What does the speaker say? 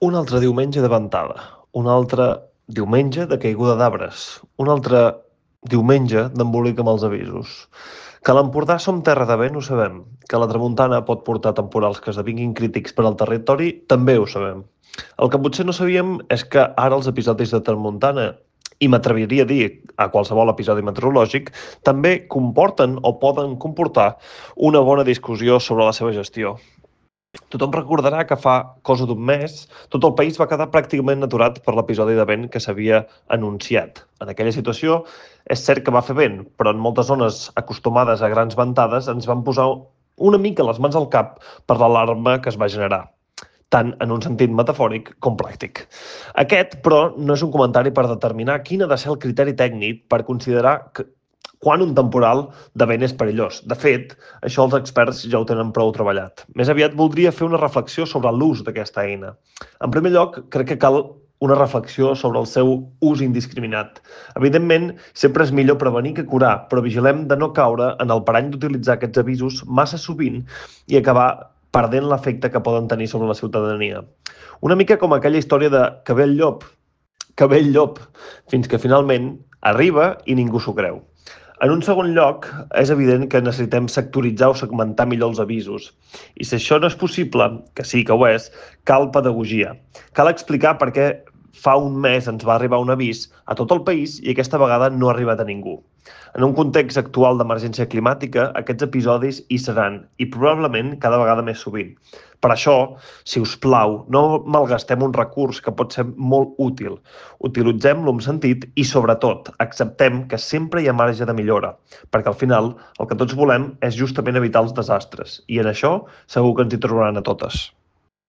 Un altre diumenge de ventada, un altre diumenge de caiguda d'arbres, un altre diumenge d'embolic amb els avisos. Que a l'Empordà som terra de vent ho sabem, que la tramuntana pot portar temporals que esdevinguin crítics per al territori també ho sabem. El que potser no sabíem és que ara els episodis de tramuntana, i m'atreviria a dir a qualsevol episodi meteorològic, també comporten o poden comportar una bona discussió sobre la seva gestió. Tothom recordarà que fa cosa d'un mes tot el país va quedar pràcticament aturat per l'episodi de vent que s'havia anunciat. En aquella situació és cert que va fer vent, però en moltes zones acostumades a grans ventades ens van posar una mica les mans al cap per l'alarma que es va generar, tant en un sentit metafòric com pràctic. Aquest, però, no és un comentari per determinar quin ha de ser el criteri tècnic per considerar quan un temporal de vent és perillós. De fet, això els experts ja ho tenen prou treballat. Més aviat voldria fer una reflexió sobre l'ús d'aquesta eina. En primer lloc, crec que cal una reflexió sobre el seu ús indiscriminat. Evidentment, sempre és millor prevenir que curar, però vigilem de no caure en el parany d'utilitzar aquests avisos massa sovint i acabar perdent l'efecte que poden tenir sobre la ciutadania. Una mica com aquella història de que ve el llop, fins que finalment arriba i ningú s'ho creu. En un segon lloc, és evident que necessitem sectoritzar o segmentar millor els avisos. I si això no és possible, que sí que ho és, cal pedagogia. Cal explicar per què fa un mes ens va arribar un avís a tot el país i aquesta vegada no ha arribat a ningú. En un context actual d'emergència climàtica, aquests episodis hi seran i probablement cada vegada més sovint. Per això, si us plau, no malgastem un recurs que pot ser molt útil. Utilitzem-lo amb sentit i, sobretot, acceptem que sempre hi ha marge de millora, perquè al final el que tots volem és justament evitar els desastres, i en això segur que ens hi trobaran a totes.